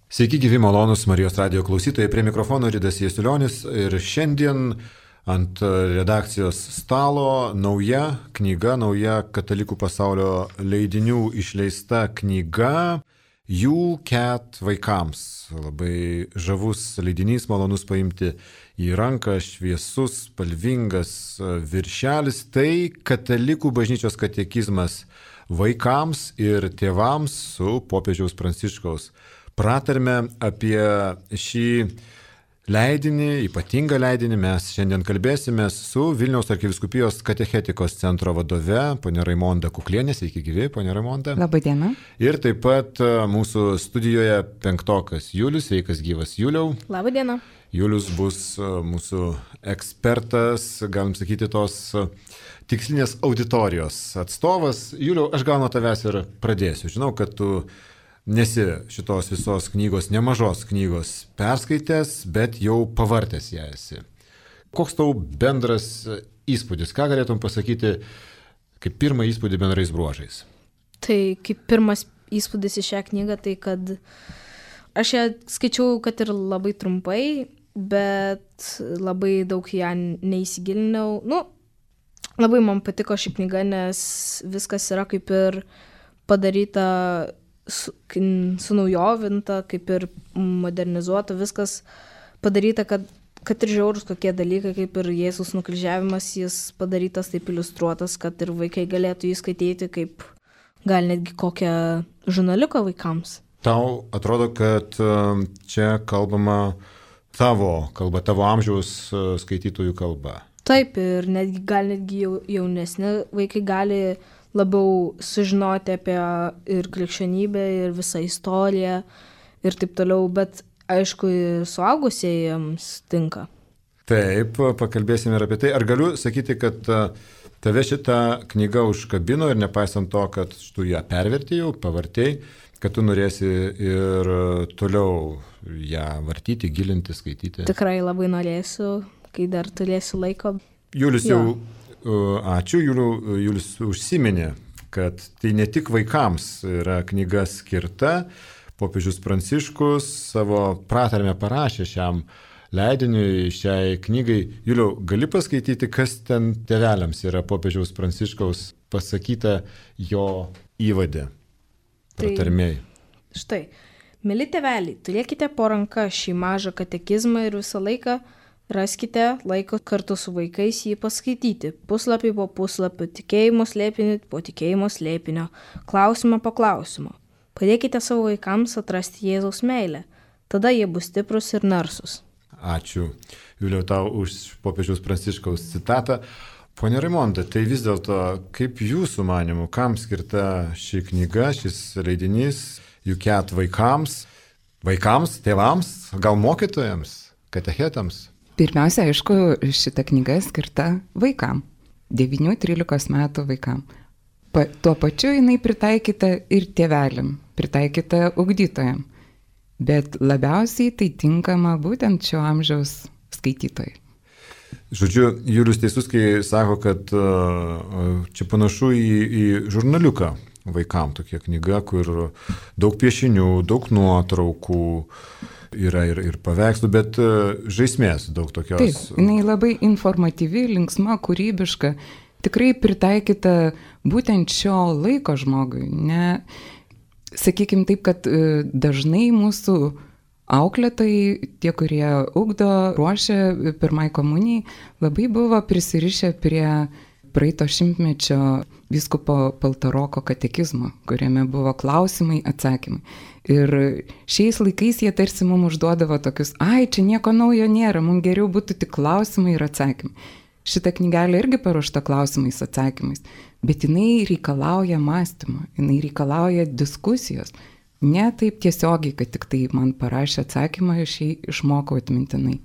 Sveiki, gyvi malonūs Marijos radijo klausytojai, prie mikrofono Ridas Jasiulionis ir šiandien ant redakcijos stalo nauja knyga, nauja katalikų pasaulio leidinių išleista knyga Jų Ket vaikams. Labai žavus leidinys, malonus paimti į ranką, šviesus, spalvingas viršelis. Tai katalikų bažnyčios katekizmas vaikams ir tėvams su popiežiaus Pranciškaus pratarme. Apie šį leidinį, ypatingą leidinį, mes šiandien kalbėsime su Vilniaus arkivyskupijos katechetikos centro vadove, ponia Raimonda Kuklienė. Sveiki, gyvi, ponia Raimonda. Labą dieną. Ir taip pat mūsų studijoje penktokas Julius. Sveikas, gyvas Juliau. Labą dieną. Julius bus mūsų ekspertas, galim sakyti, tos tikslinės auditorijos atstovas. Juliau, aš gal nuo tavęs ir pradėsiu. Žinau, kad tu nesi šitos visos knygos, nemažos knygos perskaitęs, bet jau pavartęs ją esi. Koks tau bendras įspūdis? Ką galėtum pasakyti kaip pirmą įspūdį bendrais bruožais? Tai kaip pirmas įspūdis į šią knygą, tai kad aš ją skaičiau, kad ir labai trumpai, bet labai daug ją neįsigilinau. Labai man patiko ši knyga, nes viskas yra kaip ir padaryta sunaujovinta, kaip ir modernizuota, viskas padaryta, kad ir žiaurus kokie dalykai, kaip ir Jėzus nukryžiavimas, jis padarytas taip iliustruotas, kad ir vaikai galėtų jį skaityti, kaip gal netgi kokią žurnaliuką vaikams. Tau atrodo, kad čia kalbama tavo kalba, tavo amžiaus skaitytojų kalba? Taip, ir netgi jaunesni vaikai gali labiau sužinoti apie ir krikščionybę, ir visą istoriją, ir taip toliau, bet aišku, suaugusiems tinka. Taip, pakalbėsime ir apie tai. Ar galiu sakyti, kad tave šitą knygą užkabino ir nepaisant to, kad tu ją pervertėjau, pavartėjai, kad tu norėsi ir toliau ją vartyti, gilinti, skaityti? Tikrai labai norėsiu, kai dar turėsiu laiko. Julius jau... Ačiū, Julius užsiminė, kad tai ne tik vaikams yra knyga skirta. Popiežius Pranciškus savo pratarmę parašė šiam leidiniui, šiai knygai. Juliau, gali paskaityti, kas ten tėveliams yra popiežiaus Pranciškaus pasakyta jo įvade, pratarmėj? Tai, štai, mili tėveliai, turėkite po ranka šį mažą katekizmą ir visą laiką raskite laiko kartu su vaikais jį paskaityti, puslapį po puslapio, tikėjimo slėpinį po tikėjimo slėpinio, klausimą po klausimo. Padėkite savo vaikams atrasti Jėzaus meilę, tada jie bus stiprus ir narsus. Ačiū, Juliau, tau už popiežiaus Pranciškaus citatą. Pone Raimonda, tai vis dėlto, kaip jūsų manimų, kam skirta ši knyga, šis leidinys, Jų Ket vaikams, tėvams, gal mokytojams, katechetams? Pirmiausia, aišku, šita knyga skirta vaikam, 9-13 metų vaikam. Tuo pačiu jinai pritaikyta ir tėveliam, pritaikyta ugdytojam, bet labiausiai tai tinkama būtent šio amžiaus skaitytojai. Žodžiu, Julius teisus, kai sako, kad čia panašu į žurnaliuką vaikam, tokia knyga, kur daug piešinių, daug nuotraukų, yra ir paveikslų, bet žaismės daug tokios. Taip, jinai labai informatyvi, linksma, kūrybiška, tikrai pritaikyta būtent šio laiko žmogui. Sakykime taip, kad dažnai mūsų auklėtojai, tie, kurie ugdo, ruošia pirmai komunijai, labai buvo prisirišę prie praeito šimtmečio vyskupo Paltaroko katekizmo, kuriame buvo klausimai, atsakymai. Ir šiais laikais jie tarsi mums užduodavo tokius, čia nieko naujo nėra, mums geriau būtų tik klausimai ir atsakymai. Šita knygelė irgi paruošta klausimais, atsakymais, bet jinai reikalauja mąstymo, jinai reikalauja diskusijos. Ne taip tiesiogiai, kad tik tai man parašė atsakymą, aš jį išmokau atmintinai.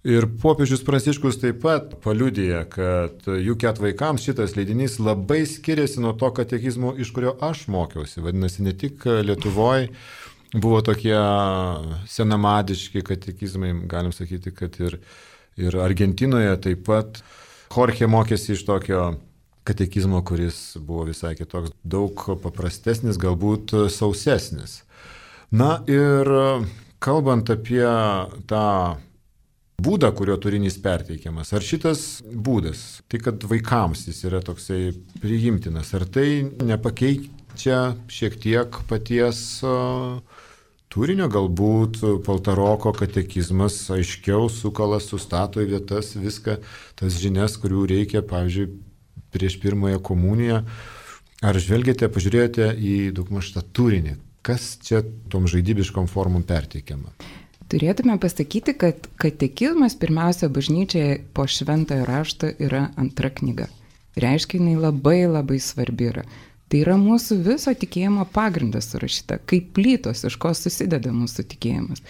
Ir popiežius Pranciškus taip pat paliudija, kad Jų Ket vaikams šitas leidinys labai skiriasi nuo to katekizmo, iš kurio aš mokiausi. Vadinasi, ne tik Lietuvoje buvo tokie senamadiški katekizmai, galim sakyti, kad ir Argentinoje taip pat. Jorge mokėsi iš tokio katekizmo, kuris buvo visai kitoks, daug paprastesnis, galbūt sausesnis. Na ir kalbant apie tą būdą, kurio turinys perteikiamas, ar šitas būdas, tai kad vaikams jis yra toksai priimtinas, ar tai nepakeičia šiek tiek paties turinio, galbūt Paltaroko katekizmas aiškiau sukala, sustato į vietas viską, tas žinias, kurių reikia, pavyzdžiui, prieš pirmąją komuniją. Ar žvelgėte, pažiūrėjote į daugmaž tą turinį? Kas čia tom žaidybiškom formom perteikiama? Turėtume pasakyti, kad katekizmas pirmiausia bažnyčiai po šventojo rašto yra antra knyga. Reiškia, jinai labai labai svarbi yra. Tai yra mūsų viso tikėjimo pagrindas surašyta, kaip plytos, iš ko susideda mūsų tikėjimas.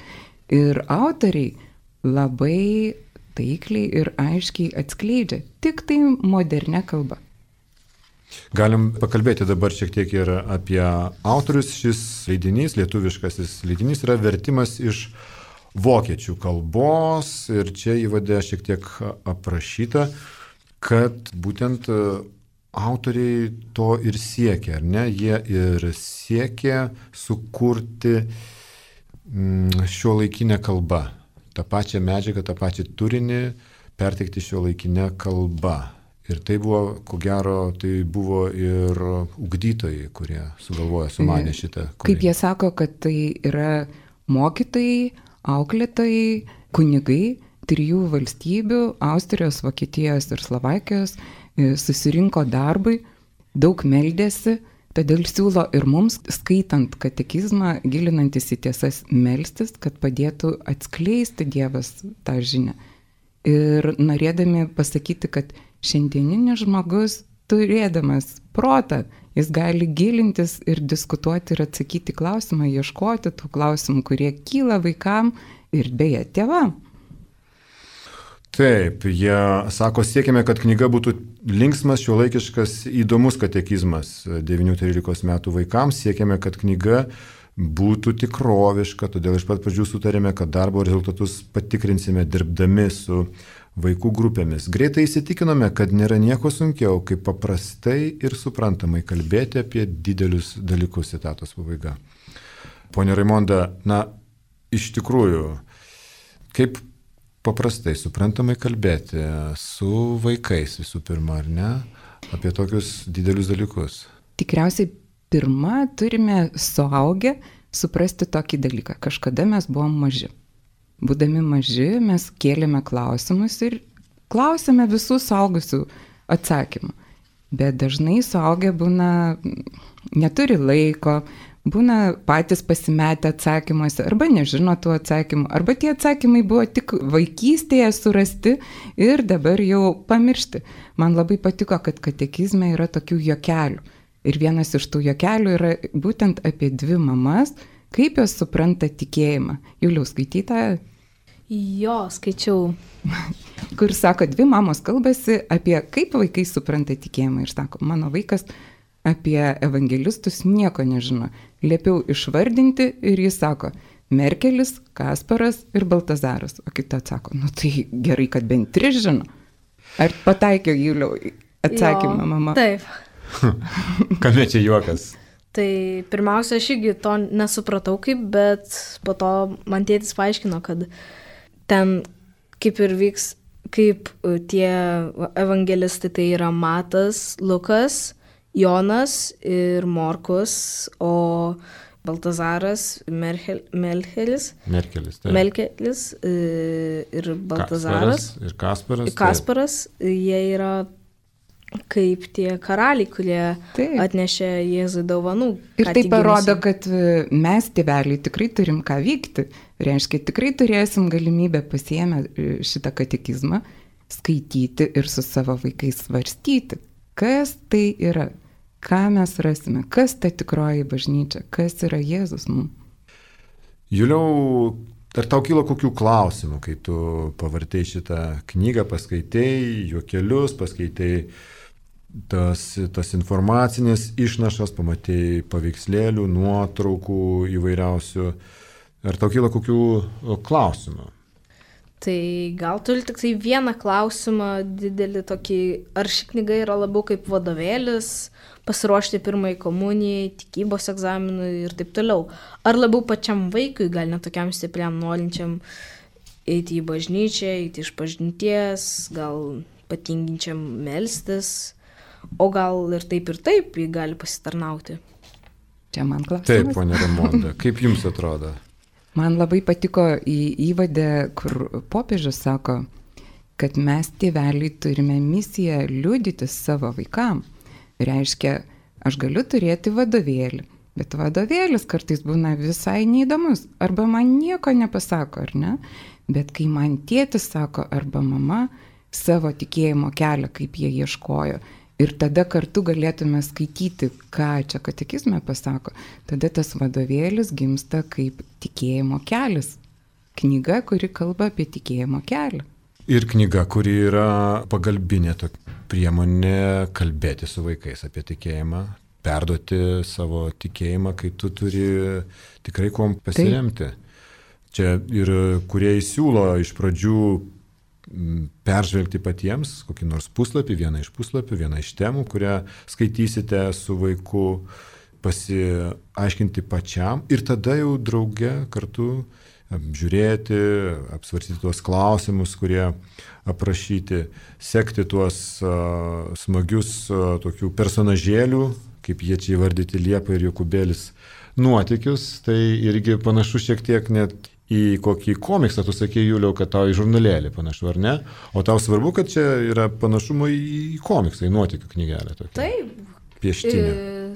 Ir autoriai labai taikliai ir aiškiai atskleidžia, tik tai modernia kalba. Galim pakalbėti dabar šiek tiek ir apie autorius. Šis leidinys, lietuviškasis leidinys, yra vertimas iš vokiečių kalbos ir čia įvade šiek tiek aprašyta, kad būtent autoriai to ir siekia, ar ne? Jie ir siekia sukurti šiuolaikinę kalbą, tą pačią medžiagą, tą pačią turinį perteikti šiuolaikinę kalbą. Ir tai buvo, ko gero, tai buvo ir ugdytojai, kurie sugalvojo, sumanė šitą kūrinį. Kaip jie sako, kad tai yra mokytojai, auklėtojai, kunigai, 3 valstybių, Austrijos, Vokietijos ir Slovakijos, susirinko darbui, daug meldėsi, todėl siūlo ir mums, skaitant katekizmą, gilinantis į tiesas, melstis, kad padėtų atskleisti Dievas tą žinią. Ir norėdami pasakyti, kad šiandieninis žmogus, turėdamas protą, jis gali gilintis ir diskutuoti ir atsakyti klausimą, ieškoti tų klausimų, kurie kyla vaikam ir beje tėvam. Taip, jie sako, siekime, kad knyga būtų linksmas, šiuolaikiškas, įdomus katekizmas 9-13 metų vaikams, siekime, kad knyga būtų tikroviška, todėl iš pat pradžių sutarėme, kad darbo rezultatus patikrinsime dirbdami su vaikų grupėmis. Greitai įsitikinome, kad nėra nieko sunkiau, kaip paprastai ir suprantamai kalbėti apie didelius dalykus, citatos pabaiga. Pone Raimonda, iš tikrųjų, kaip paprastai suprantamai kalbėti su vaikais visų pirma, ar ne, apie tokius didelius dalykus? Tikriausiai pirma turime suaugę suprasti tokį dalyką. Kažkada mes buvom maži. Būdami maži, mes kėlėme klausimus ir klausėme visų suaugusių atsakymų. Bet dažnai suaugę būna, neturi laiko, būna patys pasimetę atsakymuose, arba nežino tų atsakymų, arba tie atsakymai buvo tik vaikystėje surasti ir dabar jau pamiršti. Man labai patiko, kad katekizme yra tokių juokelių. Ir vienas iš tų juokelių yra būtent apie 2 mamas, kaip jos supranta tikėjimą. Juliau, skaityta? Jo, skaičiau. Kur sako, 2 mamos kalbasi apie kaip vaikai supranta tikėjimą. Ir sako, mano vaikas apie evangelistus nieko nežino. Liepiau išvardinti ir jis sako, Merkelis, Kasparas ir Baltazaras. O kita atsako, tai gerai, kad bent 3 žino. Ar pataikė, Juliau, atsakymą, mama? Taip. Kame čia juokas? Tai pirmiausia, aš irgi to nesupratau kaip, bet po to man tėtis paaiškino, kad ten kaip ir vyks, kaip tie evangelistai, tai yra Matas, Lukas, Jonas ir Morkus, o Baltazaras, Merkelis ir Baltazaras ir Kasparas, jie yra kaip tie karaliai, kurie atnešė Jėzui dovanų. Ir tai parodo, kad mes, tėveliai, tikrai turim ką vykti. Reiškia, tikrai turėsim galimybę pasiėmę šitą katekizmą, skaityti ir su savo vaikais svarstyti, kas tai yra, ką mes rasime, kas ta tikroji bažnyčia, kas yra Jėzus mums. Juliau, ar tau kilo kokių klausimų, kai tu pavartei šitą knygą, paskaitei juokelius, paskaitei tas informacinės išnašas, pamatei paveikslėlių, nuotraukų įvairiausių. Ar tau kyla kokių klausimų? Tai gal turi tik tai vieną klausimą didelį tokį, ar ši knyga yra labiau kaip vadovėlis, pasiruošti pirmai komunijai, tikybos egzaminui ir taip toliau. Ar labiau pačiam vaikui, gal net tokiam stipriam norinčiam eiti į bažnyčią, eiti iš pažinties, gal patinginčiam melstis, o gal ir taip jį gali pasitarnauti. Čia man klausimas. Taip, ponia Raimonda, kaip jums atrodo? Man labai patiko įvade, kur popiežius sako, kad mes tėveliai turime misiją liudyti savo vaikam. Reiškia, aš galiu turėti vadovėlį, bet vadovėlis kartais būna visai neįdomus, arba man nieko nepasako, ar ne? Bet kai man tėtis sako, arba mama savo tikėjimo kelią, kaip jie ieškojo, ir tada kartu galėtume skaityti, ką čia katekizme pasako, tada tas vadovėlis gimsta kaip tikėjimo kelias. Knyga, kuri kalba apie tikėjimo kelią. Ir knyga, kuri yra pagalbinė priemonė kalbėti su vaikais apie tikėjimą, perduoti savo tikėjimą, kai tu turi tikrai kuom pasiremti. Čia ir kurie siūlo iš pradžių peržvelgti patiems kokį nors puslapį, vieną iš puslapių, vieną iš temų, kurią skaitysite su vaiku, pasiaiškinti pačiam ir tada jau drauge kartu apžiūrėti, apsvarstyti tuos klausimus, kurie aprašyti, sekti tuos smagius tokių personažėlių, kaip jie čia įvardyti Liepa ir Jokūbėlis, nuotykius, tai irgi panašu šiek tiek net į kokį komiksą, tu sakei, Juliau, kad tau į žurnalėlį panašu, ar ne? O tau svarbu, kad čia yra panašumo į komiksą, į nuotykių knygelę tokia. Taip. Pieštinė.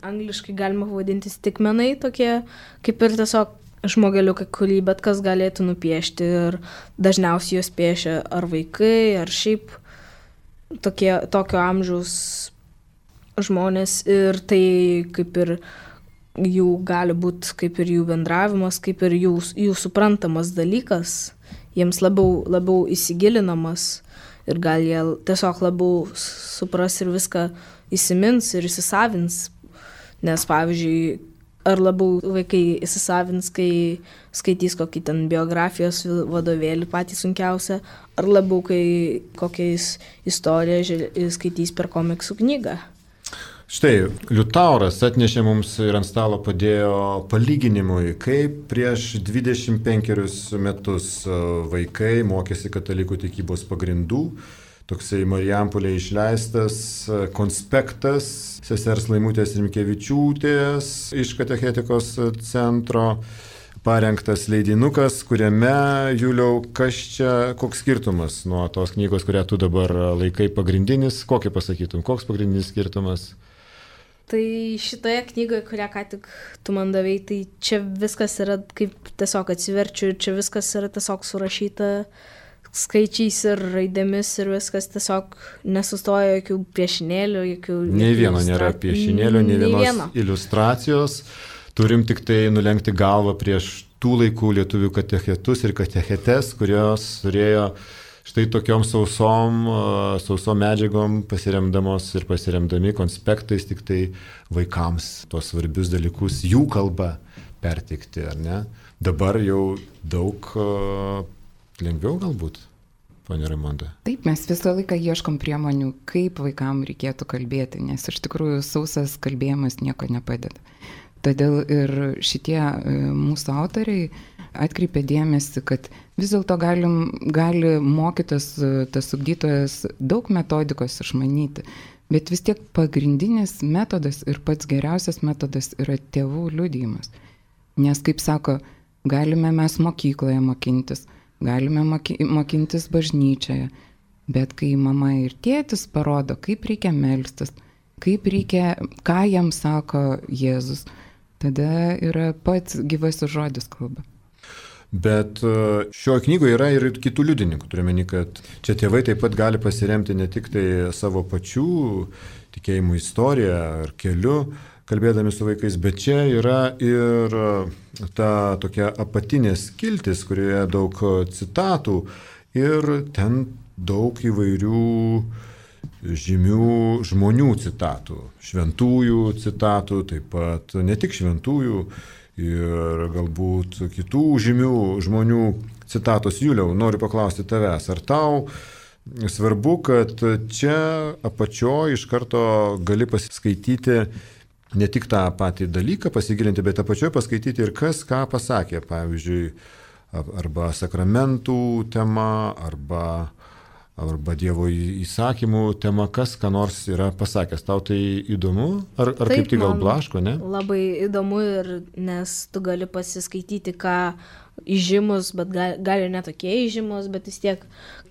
Angliškai galima vadinti stikmenai tokie, kaip ir tiesiog žmogeliukai, kurį bet kas galėtų nupiešti ir dažniausiai juos piešia ar vaikai, ar šiaip tokio amžiaus žmonės ir tai kaip ir jų gali būti kaip ir jų bendravimas, kaip ir jų suprantamas dalykas, jiems labiau įsigilinamas ir gal jie tiesiog labiau supras ir viską įsimins ir įsisavins. Nes pavyzdžiui, ar labiau vaikai įsisavins, kai skaitys kokį ten biografijos vadovėlį patį sunkiausią, ar labiau, kai kokiais istoriją skaitys per komiksų knygą. Štai, Liutauras atnešė mums ir ant stalo padėjo palyginimui, kaip prieš 25 metus vaikai mokėsi katalikų tikybos pagrindų. Toksai Marijampolėje išleistas konspektas sesers Laimutės Rimkevičiūtės iš katechetikos centro, parengtas leidinukas, kuriame, Juliau, koks skirtumas nuo tos knygos, kurią tu dabar laikai pagrindinis, kokį pasakytum, koks pagrindinis skirtumas? Tai šitoje knygoje, kurią ką tik tu man davei, tai čia viskas yra, kaip tiesiog atsiverčiu, čia viskas yra tiesiog surašyta skaičiais ir raidėmis ir viskas tiesiog nesustoja jokių piešinėlių, jokių... Nei vieno nėra piešinėlių, nei vienos iliustracijos. Turim tik tai nulenkti galvą prieš tų laikų lietuvių katechetus ir katechetes, kurios turėjo štai tokiom sausom medžiagom pasiremdamos ir pasiremdami konspektais tik tai vaikams tos svarbius dalykus jų kalba perteikti, ar ne? Dabar jau daug lengviau galbūt, ponia Raimonda. Taip, mes visą laiką ieškom priemonių, kaip vaikam reikėtų kalbėti, nes iš tikrųjų sausas kalbėjimas nieko nepadeda. Todėl ir šitie mūsų autoriai atkreipė dėmesį, kad vis dėlto gali mokytas, tas ugdytojas daug metodikos išmanyti, bet vis tiek pagrindinis metodas ir pats geriausias metodas yra tėvų liudijimas. Nes, kaip sako, galime mes mokykloje mokintis, galime mokintis bažnyčioje, bet kai mama ir tėtis parodo, kaip reikia melstis, ką jam sako Jėzus, tada yra pats gyvasis žodis kalba. Bet šioje knygoje yra ir kitų liudininkų. Turime, kad čia tėvai taip pat gali pasiremti ne tik tai savo pačių tikėjimų istoriją ar keliu, kalbėdami su vaikais, bet čia yra ir ta tokia apatinė skiltis, kurioje daug citatų ir ten daug įvairių žymių žmonių citatų, šventųjų citatų, taip pat ne tik šventųjų, ir galbūt kitų žymių žmonių citatos. Juliau, noriu paklausti tavęs, ar tau svarbu, kad čia apačioje iš karto gali pasiskaityti ne tik tą patį dalyką pasigilinti, bet apačioje paskaityti ir kas ką pasakė, pavyzdžiui, arba sakramentų tema, arba Dievo įsakymų tema, kas ką nors yra pasakęs. Tau tai įdomu? Ar taip, kaip tik gal blaško, ne? Labai įdomu, nes tu gali pasiskaityti, ką įžymus, bet gali netokie įžymus, bet vis tiek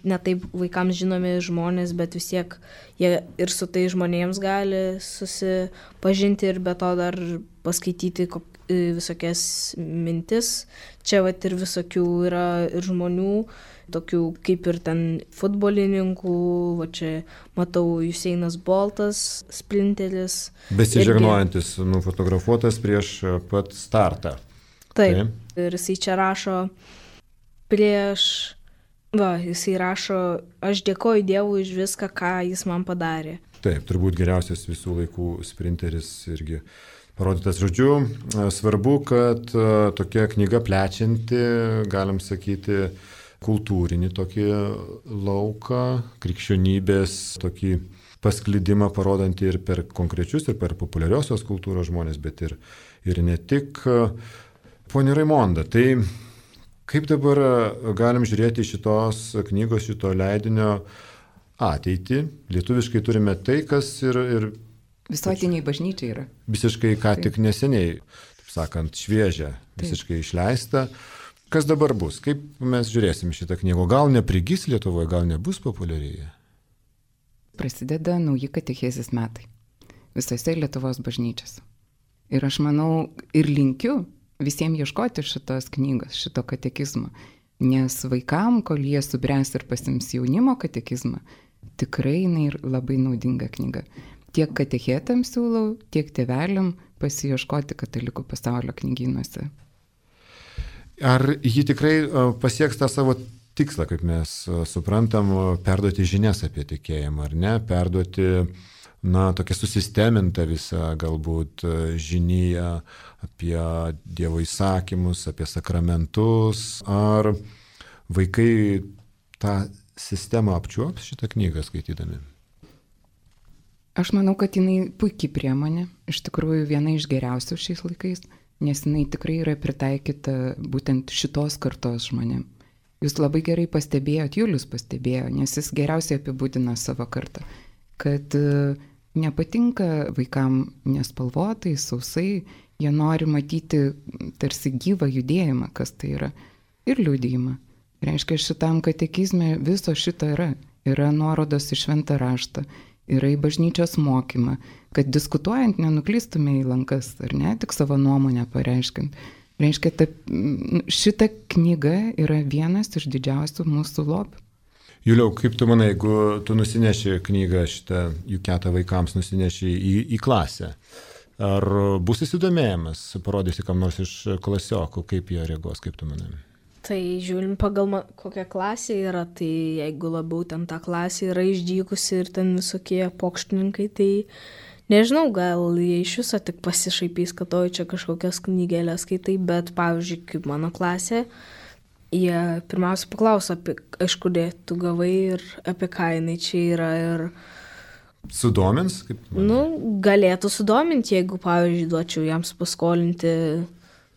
netaip vaikams žinomi žmonės, bet vis tiek jie ir su tai žmonėms gali susipažinti ir be to dar paskaityti visokias mintis. Čia vat ir visokių yra ir žmonių, tokių kaip ir ten futbolininkų, va čia matau Juseinas Boltas, sprinteris. Besižegnojantis, nufotografuotas prieš pat startą. Taip. Ir jisai čia rašo jisai rašo, aš dėkoju Dievui už viską, ką jis man padarė. Taip, turbūt geriausias visų laikų sprinteris irgi parodytas. Žodžiu, svarbu, kad tokia knyga plečianti, galim sakyti, kultūrinį tokį lauką, krikščionybės tokį pasklidimą parodantį ir per konkrečius, ir per populiariosios kultūros žmonės, bet ir ne tik. Pone Raimonda, tai kaip dabar galim žiūrėti šitos knygos, šito leidinio ateitį? Lietuviškai turime tai, kas ir visuotiniai bažnyčiai yra. Visiškai ką tik neseniai, taip sakant, šviežia, visiškai išleista. Kas dabar bus? Kaip mes žiūrėsim šitą knygą? Gal neprigis Lietuvoje, gal nebus populiarėje? Prasideda nauji katechezės metai visose Lietuvos bažnyčiose. Ir aš manau ir linkiu visiems ieškoti šitos knygos, šito katekizmo, nes vaikam, kol jie subręs ir pasims jaunimo katekizmą, tikrai jinai labai naudinga knyga. Tiek katechetams siūlau, tiek tėveliam pasiieškoti katalikų pasaulio knygynuose. Ar ji tikrai pasieks tą savo tikslą, kaip mes suprantam, perduoti žinias apie tikėjimą, ar ne? Perduoti tokia susisteminta visa galbūt žinija apie Dievo įsakymus, apie sakramentus. Ar vaikai tą sistemą apčiuops šitą knygą skaitydami? Aš manau, kad jinai puikiai priemonė, iš tikrųjų viena iš geriausių šiais laikais, nes jinai tikrai yra pritaikyta būtent šitos kartos žmonėm. Jūs labai gerai pastebėjot, Julius pastebėjo, nes jis geriausiai apibūdina savo kartą, kad nepatinka vaikam nespalvotai, sausai, jie nori matyti tarsi gyvą judėjimą, kas tai yra, ir liudijimą. Reiškia, šitam katekizme viso šito yra. Yra nuorodos į šventą raštą, yra į bažnyčios mokymą, kad diskutuojant nenuklystume į lankas, ar ne, tik savo nuomonę pareiškint. Reiškia, šita knyga yra vienas iš didžiausių mūsų lobių. Juliau, kaip tu manai, jeigu tu nusineši knygą šitą Juketą vaikams, nusineši į klasę, ar bus įsidomėjimas, parodysi kam nors iš klasiokų, kaip jie reaguos, kaip tu manai? Tai žiūrim pagal kokia klasė yra, tai jeigu labiau ten ta klasė yra išdykusi ir ten visokie pokštininkai, tai nežinau, gal jie iš viso tik pasišaipys, kad čia kažkokias knygelės skaitai, bet pavyzdžiui, kaip mano klasė, jie pirmiausia paklauso, iš kur tu gavai ir apie ką jinai čia yra ir... Sudomins? Galėtų sudominti, jeigu, pavyzdžiui, duočiau jiems paskolinti,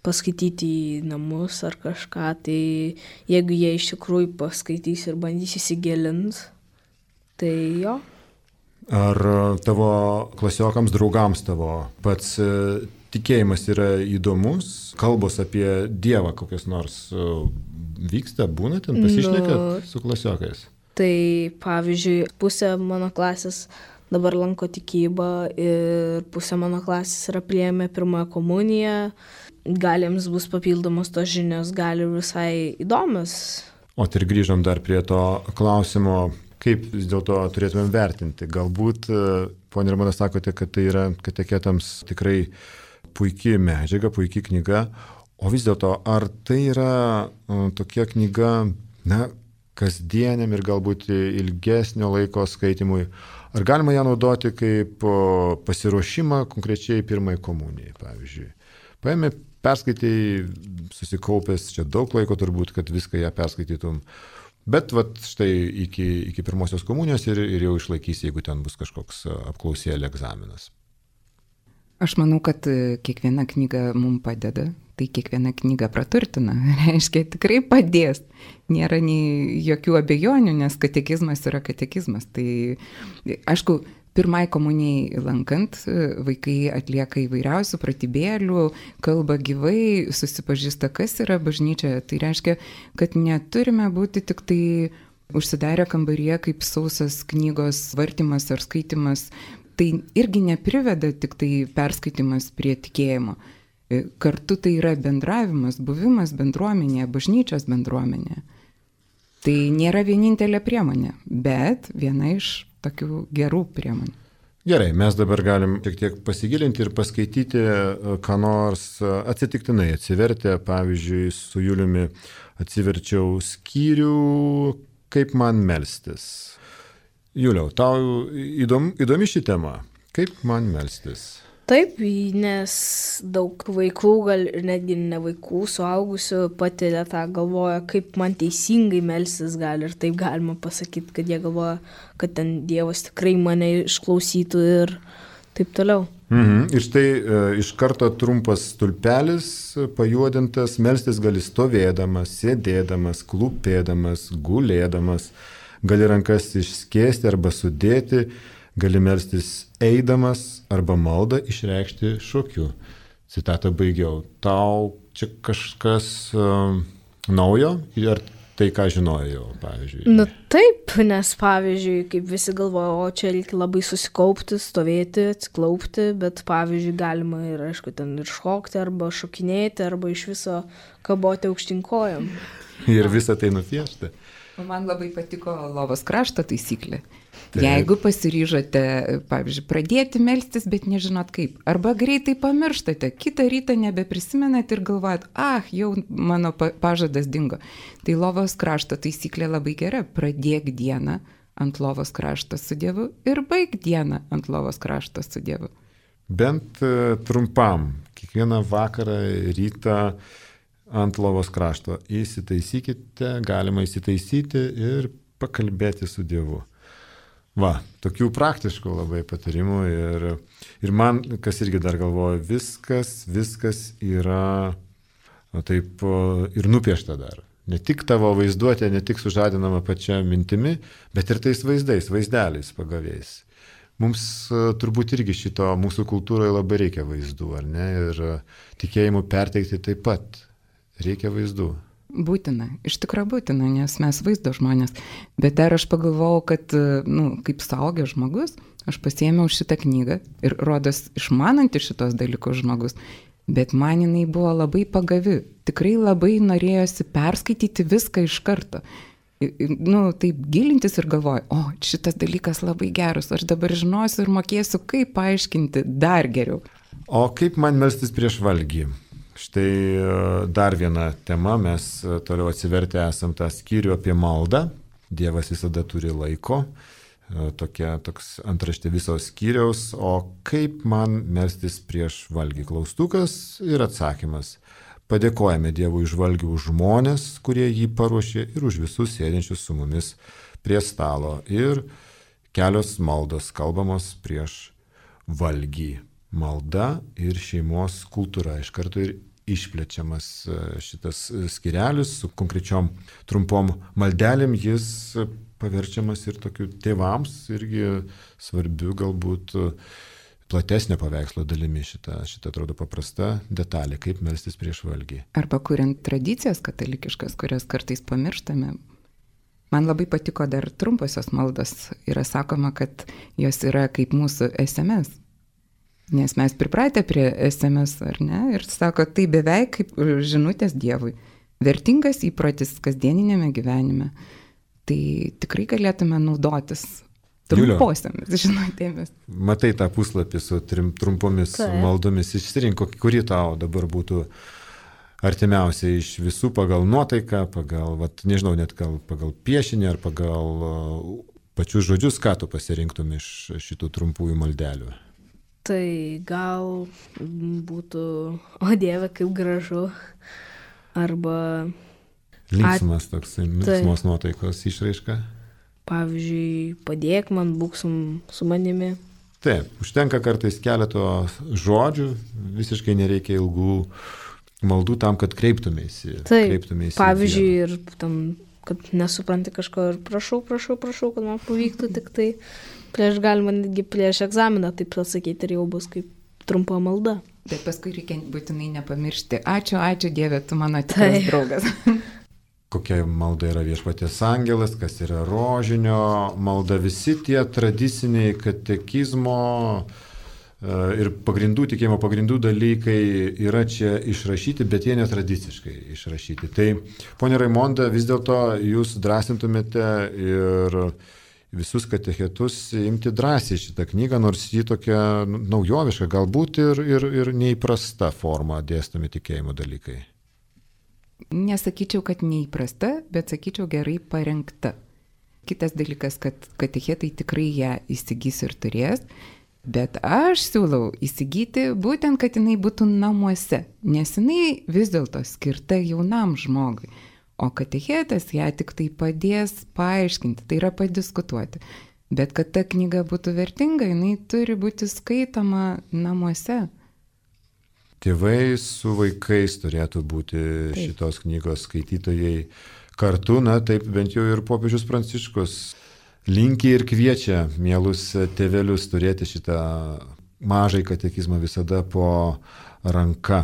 paskaityti į namus ar kažką, tai jeigu jie iš tikrųjų paskaitys ir bandys įsigilinti, tai jo. Ar tavo klasiokams, draugams tavo pats tikėjimas yra įdomus? Kalbos apie Dievą kokias nors vyksta, būna ten, pasišnekat su klasiokais? Tai pavyzdžiui, pusė mano klasės dabar lanko tikybą ir pusė mano klasės yra priėmę pirmąją komuniją. Gal jiems bus papildomos tos žinios, gali visai įdomios. O tai ir grįžom dar prie to klausimo, kaip vis dėlto turėtumėm vertinti. Galbūt, ponė Raimonda, sakote, kad tai yra kateketams tikrai puikiai medžiaga, puikiai knyga, o vis dėlto, ar tai yra tokia knyga, kasdieniam ir galbūt ilgesnio laiko skaitimui, ar galima ją naudoti kaip pasiruošimą konkrečiai pirmai komunijai, pavyzdžiui. Paėmė perskaitai, susikaupęs, čia daug laiko turbūt, kad viską ją perskaitytum. Bet vat, štai iki pirmosios komunijos ir jau išlaikysi, jeigu ten bus kažkoks apklausėlė egzaminas. Aš manau, kad kiekviena knyga mums padeda, tai kiekviena knyga praturtina, reiškia, tikrai padės. Nėra nei jokių abejonių, nes katekizmas yra katekizmas. Tai, aišku, pirmai komunijai lankant, vaikai atlieka įvairiausių pratybėlių, kalba gyvai, susipažįsta, kas yra bažnyčia. Tai reiškia, kad neturime būti tik tai užsidarę kambaryje kaip sausas knygos vartymas ar skaitimas. Tai irgi nepriveda tik tai perskaitimas prie tikėjimo. Kartu tai yra bendravimas, buvimas bendruomenėje, bažnyčios bendruomenėje. Tai nėra vienintelė priemonė, bet viena iš tokių gerų priemonių. Gerai, mes dabar galim šiek tiek pasigilinti ir paskaityti, ką nors atsitiktinai atsivertę. Pavyzdžiui, su Juliumi atsiverčiau skyrių Kaip man melstis. Juliau, tau įdomi ši tema. Kaip man melstis? Taip, nes daug vaikų, gal ir netgi ne vaikų, suaugusių patiria tą, galvoja, kaip man teisingai melstis gali. Ir taip galima pasakyti, kad jie galvoja, kad ten Dievas tikrai mane išklausytų ir taip toliau. Ir štai iš karto trumpas stulpelis, pajuodintas, melstis gali stovėdamas, sėdėdamas, klūpėdamas, gulėdamas. Gali rankas išskėsti arba sudėti, gali melstis eidamas arba maldą išreikšti šokiu. Citatą baigiau. Tau čia kažkas naujo ar tai, ką žinojau, pavyzdžiui? Nu taip, nes pavyzdžiui, kaip visi galvoja, o čia reikia labai susikaupti, stovėti, atsiklaupti, bet pavyzdžiui galima ir, aišku, ten ir šokti arba šokinėti arba iš viso kaboti aukštinkojam. Ir visą tai nupiešti. Man labai patiko lovos krašto taisyklė. Taip. Jeigu pasiryžote, pavyzdžiui, pradėti melstis, bet nežinot kaip, arba greitai pamirštate, kitą rytą nebeprisimenat ir galvojat, jau mano pažadas dingo. Tai lovos krašto taisyklė labai gera. Pradėk dieną ant lovos krašto su Dievu ir baig dieną ant lovos krašto su Dievu. Bent trumpam, kiekvieną vakarą, rytą ant lovos krašto. Įsitaisykite, galima įsitaisyti ir pakalbėti su Dievu. Va, tokių praktiškų labai patarimų ir man, kas irgi dar galvoju, viskas yra taip ir nupiešta dar. Ne tik tavo vaizduotė, ne tik sužadinama pačia mintimi, bet ir tais vaizdeliais pagaviais. Mums turbūt irgi šito mūsų kultūroje labai reikia vaizdų, ar ne? Ir tikėjimų perteikti taip pat. Reikia vaizdų. Būtina, iš tikrųjų būtina, nes mes vaizdo žmonės. Bet dar aš pagalvojau, kad, kaip suaugęs žmogus, aš pasiėmiau šitą knygą ir rodos išmananti šitos dalykus žmogus, bet man jinai buvo labai pagavi. Tikrai labai norėjosi perskaityti viską iš karto. Taip gilintis ir galvoju, šitas dalykas labai geras, aš dabar žinosiu ir mokėsiu, kaip paaiškinti dar geriau. O kaip man melstis prieš valgį? Štai dar viena tema, mes toliau atsivertę esam tą skyrių apie maldą. Dievas visada turi laiko, toks antraštė visos skyriaus. O kaip man melstis prieš valgį? Klaustukas ir atsakymas. Padėkojame Dievui už valgį, už žmonės, kurie jį paruošė ir už visus sėdinčius su mumis prie stalo. Ir kelios maldos kalbamos prieš valgį. Malda ir šeimos kultūra. Iš karto ir išplečiamas šitas skyrelis su konkrečiom trumpom maldelėm, jis paverčiamas ir tokiu tėvams irgi svarbiu galbūt platesnio paveikslo dalimi šita atrodo paprasta detalė, kaip melstis prieš valgį. Arba kuriant tradicijas katalikiškas, kurias kartais pamirštame. Man labai patiko dar trumposios maldos. Yra sakoma, kad jos yra kaip mūsų SMS. Nes mes pripratę prie SMS, ar ne? Ir sako, tai beveik kaip žinutės Dievui. Vertingas įprotis kasdieninėme gyvenime. Tai tikrai galėtume naudotis trumposiamis žinutėmis. Matai tą puslapį su trumpomis maldomis. Išsirink, kuri tau dabar būtų artimiausia iš visų pagal nuotaiką, pagal, nežinau, net pagal piešinį ar pagal pačius žodžius, ką tu pasirinktum iš šitų trumpųjų maldelių. Tai gal būtų, o Dieve, kaip gražu, arba... Linksmas toks, linksmos nuotaikos išraiška. Pavyzdžiui, padėk man, būk su manimi. Taip, užtenka kartais keleto žodžių, visiškai nereikia ilgų maldų tam, kad kreiptumėsi. Taip, pavyzdžiui, ir tam, kad nesupranti kažko ir prašau, kad man pavyktų tik tai galima netgi prieš egzaminą taip pasakyti ir jau bus kaip trumpa malda. Bet paskui reikia būtinai nepamiršti. Ačiū Dieve, tu mano tikras draugas. Kokia malda yra Viešpaties angelas, kas yra rožinio malda, visi tie tradiciniai katekizmo ir tikėjimo pagrindų dalykai yra čia išrašyti, bet jie netradiciškai išrašyti. Tai, ponia Raimonda, vis dėlto jūs drąsintumėte ir visus katechetus imti drąsiai šitą knygą, nors ji tokia naujoviška, galbūt ir neįprasta forma dėstomi tikėjimo dalykai. Nesakyčiau, kad neįprasta, bet sakyčiau gerai parengta. Kitas dalykas, kad katechetai tikrai ją įsigys ir turės, bet aš siūlau įsigyti būtent, kad jinai būtų namuose, nes jinai vis dėlto skirta jaunam žmogui, o katechetas ją tik tai padės paaiškinti, tai yra padiskutuoti. Bet kad ta knyga būtų vertinga, jinai turi būti skaitoma namuose. Tėvai su vaikais turėtų būti šitos knygos skaitytojai kartu, taip bent jau ir popiežius Pranciškus linki ir kviečia mielus tėvelius turėti šitą mažai katekizmą visada po ranka.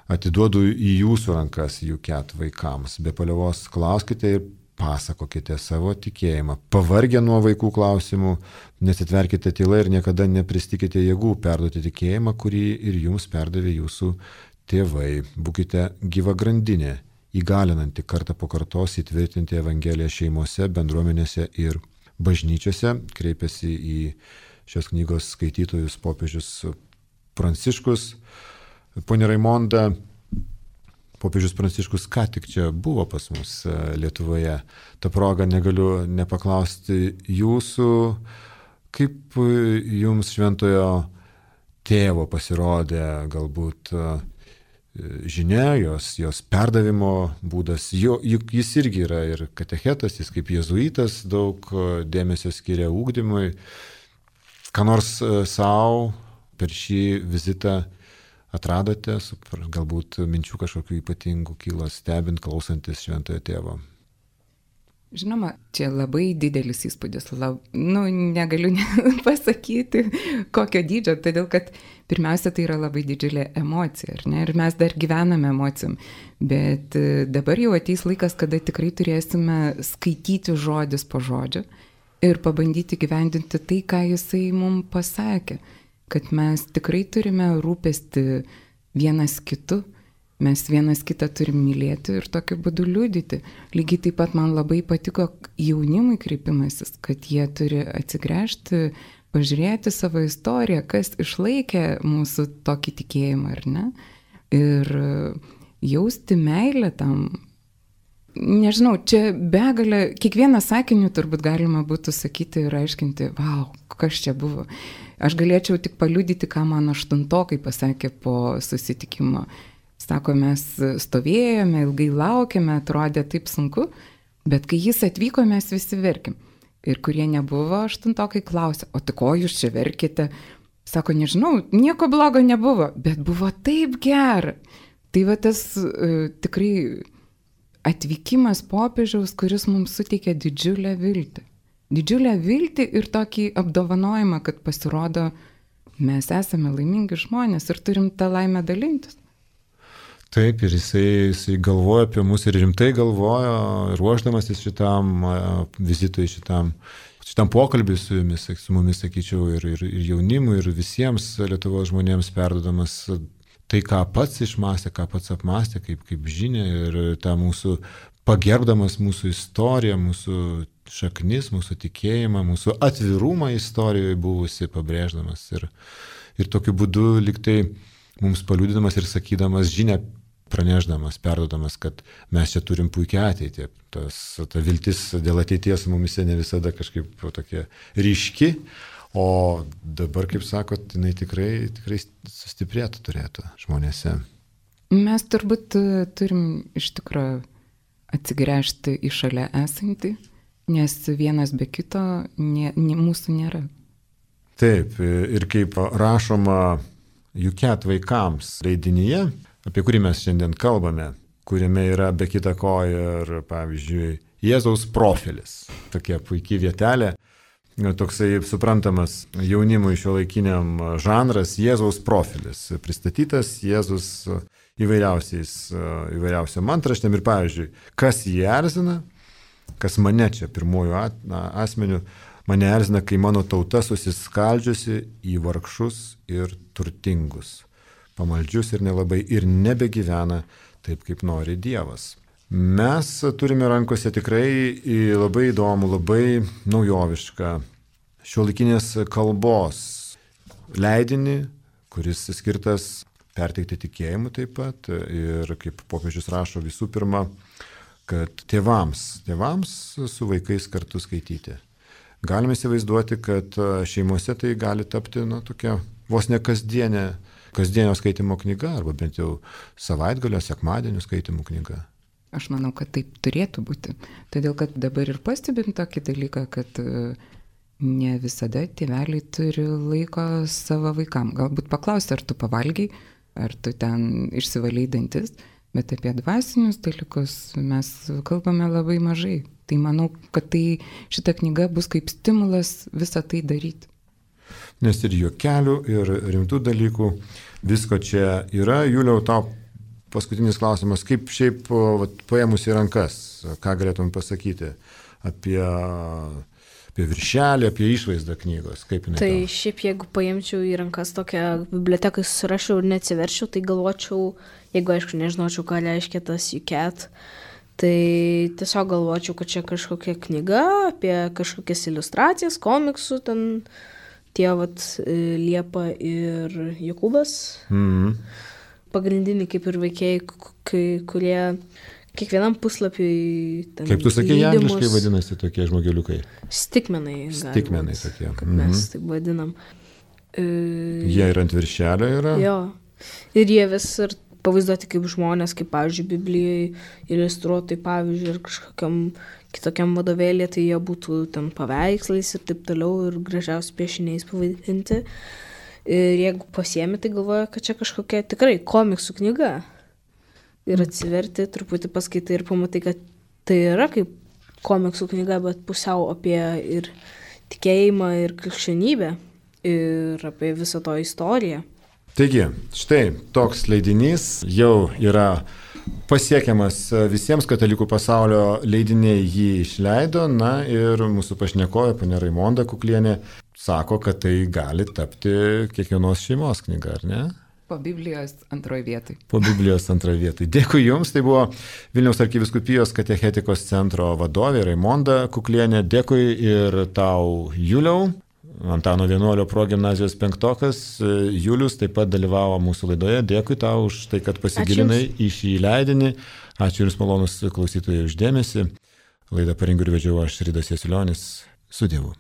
Atiduodu į jūsų rankas UK vaikams. Be paliovos klauskite ir pasakokite savo tikėjimą. Pavargę nuo vaikų klausimų, nesitverkite tyla ir niekada nepristikite jėgų perduoti tikėjimą, kurį ir jums perdavė jūsų tėvai. Būkite gyva grandinė, įgalinanti kartą po kartos įtvirtinti Evangeliją šeimose, bendruomenėse ir bažnyčiose. Kreipiasi į šios knygos skaitytojus popiežius Pranciškus. Pone Raimonda, popiežius Pranciškus ką tik čia buvo pas mus Lietuvoje. Ta proga negaliu nepaklausti jūsų, kaip jums šventojo tėvo pasirodė galbūt žinia, jos perdavimo būdas. Juk jis irgi yra ir katechetas, jis kaip jėzuitas daug dėmesio skiria ugdymui. Ką nors savo per šį vizitą atradote, galbūt minčių kažkokių ypatingų kilo stebint, klausantis šventojo tėvo? Žinoma, čia labai didelis įspūdis. Negaliu pasakyti, kokio dydžio, todėl kad pirmiausia, tai yra labai didžiulė emocija, ar ne? Ir mes dar gyvename emocijom. Bet dabar jau ateis laikas, kada tikrai turėsime skaityti žodis po žodžio ir pabandyti gyvendinti tai, ką jisai mums pasakė. Kad mes tikrai turime rūpesti vienas kitu, mes vienas kitą turim mylėti ir tokiu būdu liudyti. Lygiai taip pat man labai patiko jaunimui kreipimasis, kad jie turi atsigręžti, pažiūrėti savo istoriją, kas išlaikė mūsų tokį tikėjimą, ar ne? Ir jausti meilę tam. Nežinau, čia begalė, kiekvieną sakinį turbūt galima būtų sakyti ir aiškinti, vau, kas čia buvo. Aš galėčiau tik paliudyti, ką man aštuntokai pasakė po susitikimo. Sako, mes stovėjome, ilgai laukėme, atrodė taip sunku, bet kai jis atvyko, mes visi verkėm. Ir kurie nebuvo aštuntokai klausė, o tai ko jūs čia verkite? Sako, nežinau, nieko blogo nebuvo, bet buvo taip gera. Tai va tas tikrai atvykimas popiežiaus, kuris mums suteikia didžiulę viltį. Didžiulę viltį ir tokį apdovanojimą, kad pasirodo, mes esame laimingi žmonės ir turim tą laimę dalintis. Taip, ir jisai galvoja apie mus ir rimtai galvoja, ruošdamasis šitam vizitui, šitam pokalbiui su jumis, su mumis, sakyčiau, ir jaunimui, ir visiems Lietuvos žmonėms perduodamas tai, ką pats išmąstė, ką pats apmąstė, kaip žinia, ir tą mūsų pagerbdamas mūsų istoriją, mūsų šaknis, mūsų tikėjimą, mūsų atvirumą istorijoje buvusi pabrėždamas ir tokiu būdu liktai mums paliudydamas ir sakydamas žinią, pranešdamas, perduodamas, kad mes čia turim puikią ateitį. Ta viltis dėl ateities mumise ne visada kažkaip tokia ryški, O dabar, kaip sakot, jinai tikrai sustiprėtų turėtų žmonėse. Mes turbūt turim iš tikrųjų atsigręžti į šalia esantį, nes vienas be kito mūsų nėra. Taip, ir kaip rašoma Juket vaikams leidinyje, apie kurį mes šiandien kalbame, kuriame yra be kita ko ir, pavyzdžiui, Jėzaus profilis. Tokia puikia vietelė, toksai suprantamas jaunimui šiuolaikiniam žanras Jėzaus profilis. Pristatytas Jėzus įvairiausiam antraštėm ir, pavyzdžiui, kas jį erzina, kas mane čia pirmojų asmenių, mane erzina, kai mano tauta susiskaldžiusi į vargšus ir turtingus, pamaldžius ir nelabai ir nebegyvena taip, kaip nori Dievas. Mes turime rankose tikrai labai įdomų, labai naujovišką šiuolaikinės kalbos leidinį, kuris skirtas perteikti tikėjimu taip pat ir, kaip popiežius rašo, visų pirma, kad tėvams su vaikais kartu skaityti. Galime įsivaizduoti, kad šeimose tai gali tapti tokia vos ne kasdienio skaitimo knyga, arba bent jau savaitgalio, sekmadienio skaitimo knyga. Aš manau, kad taip turėtų būti. Todėl, kad dabar ir pastebim tokį dalyką, kad ne visada tėveliai turi laiko savo vaikam. Galbūt paklausti, ar tu pavalgiai, ar tu ten išsivalei dantis, bet apie dvasinius dalykus mes kalbame labai mažai. Tai manau, kad šita knyga bus kaip stimulas visą tai daryti. Nes ir juokelių, ir rimtų dalykų, visko čia yra. Juliau, tau paskutinis klausimas, kaip šiaip paėmus į rankas, ką galėtum pasakyti apie viršelį, apie išvaizdą knygos, kaip jinai? Tai šiaip jeigu paimčiau į rankas tokią biblioteką, susirašiau ir neatsiverčiau, tai galvočiau, jeigu aišku nežinočiau, ką reiškia tas Juket, tai tiesiog galvočiau, kad čia kažkokia knyga apie kažkokias iliustracijas, komiksų, ten tie Liepa ir Jokūbas. Pagrindiniai kaip ir veikėjai, kurie kiekvienam puslapiui... Kaip tu sakei, angliškai vadinasi tokie žmogeliukai? Stikmenai. Stikmenai tokie. Kaip mes taip vadinam. Jie ir ant viršelio yra? Jo. Ir jie vis ir pavaizduoti kaip žmonės, kaip, pavyzdžiui, Biblijai iliustruotai, pavyzdžiui, ir kažkokiam kitokiam vadovėlė, tai jie būtų ten paveikslais ir taip toliau, ir gražiausiai piešiniais pavadinti. Ir jeigu pasiemi, tai galvoja, kad čia kažkokia tikrai komiksų knyga. Ir atsiverti, truputį paskaitai ir pamatai, kad tai yra kaip komiksų knyga, bet pusiau apie ir tikėjimą, ir krikščionybę, ir apie visą to istoriją. Taigi, štai toks leidinys jau yra pasiekiamas visiems katalikų pasaulio leidiniai jį išleido, na ir mūsų pašnekovė, ponia Raimonda Kuklienė, sako, kad tai gali tapti kiekvienos šeimos knyga, ar ne? Po Biblijos antroje vietoje. Po Biblijos antroje vietoje. Dėkui Jums, tai buvo Vilniaus arkivyskupijos katechetikos centro vadovė Raimonda Kuklienė. Dėkui ir tau, Juliau, Antano Vienuolio progimnazijos penktokas. Julius taip pat dalyvavo mūsų laidoje. Dėkui tau už tai, kad pasigilinai į šį leidinį. Ačiū Jums, malonus klausytojai, už dėmesį. Laidą parengiau ir vedžiau aš, Ridas Jasiulionis. Su Dievu.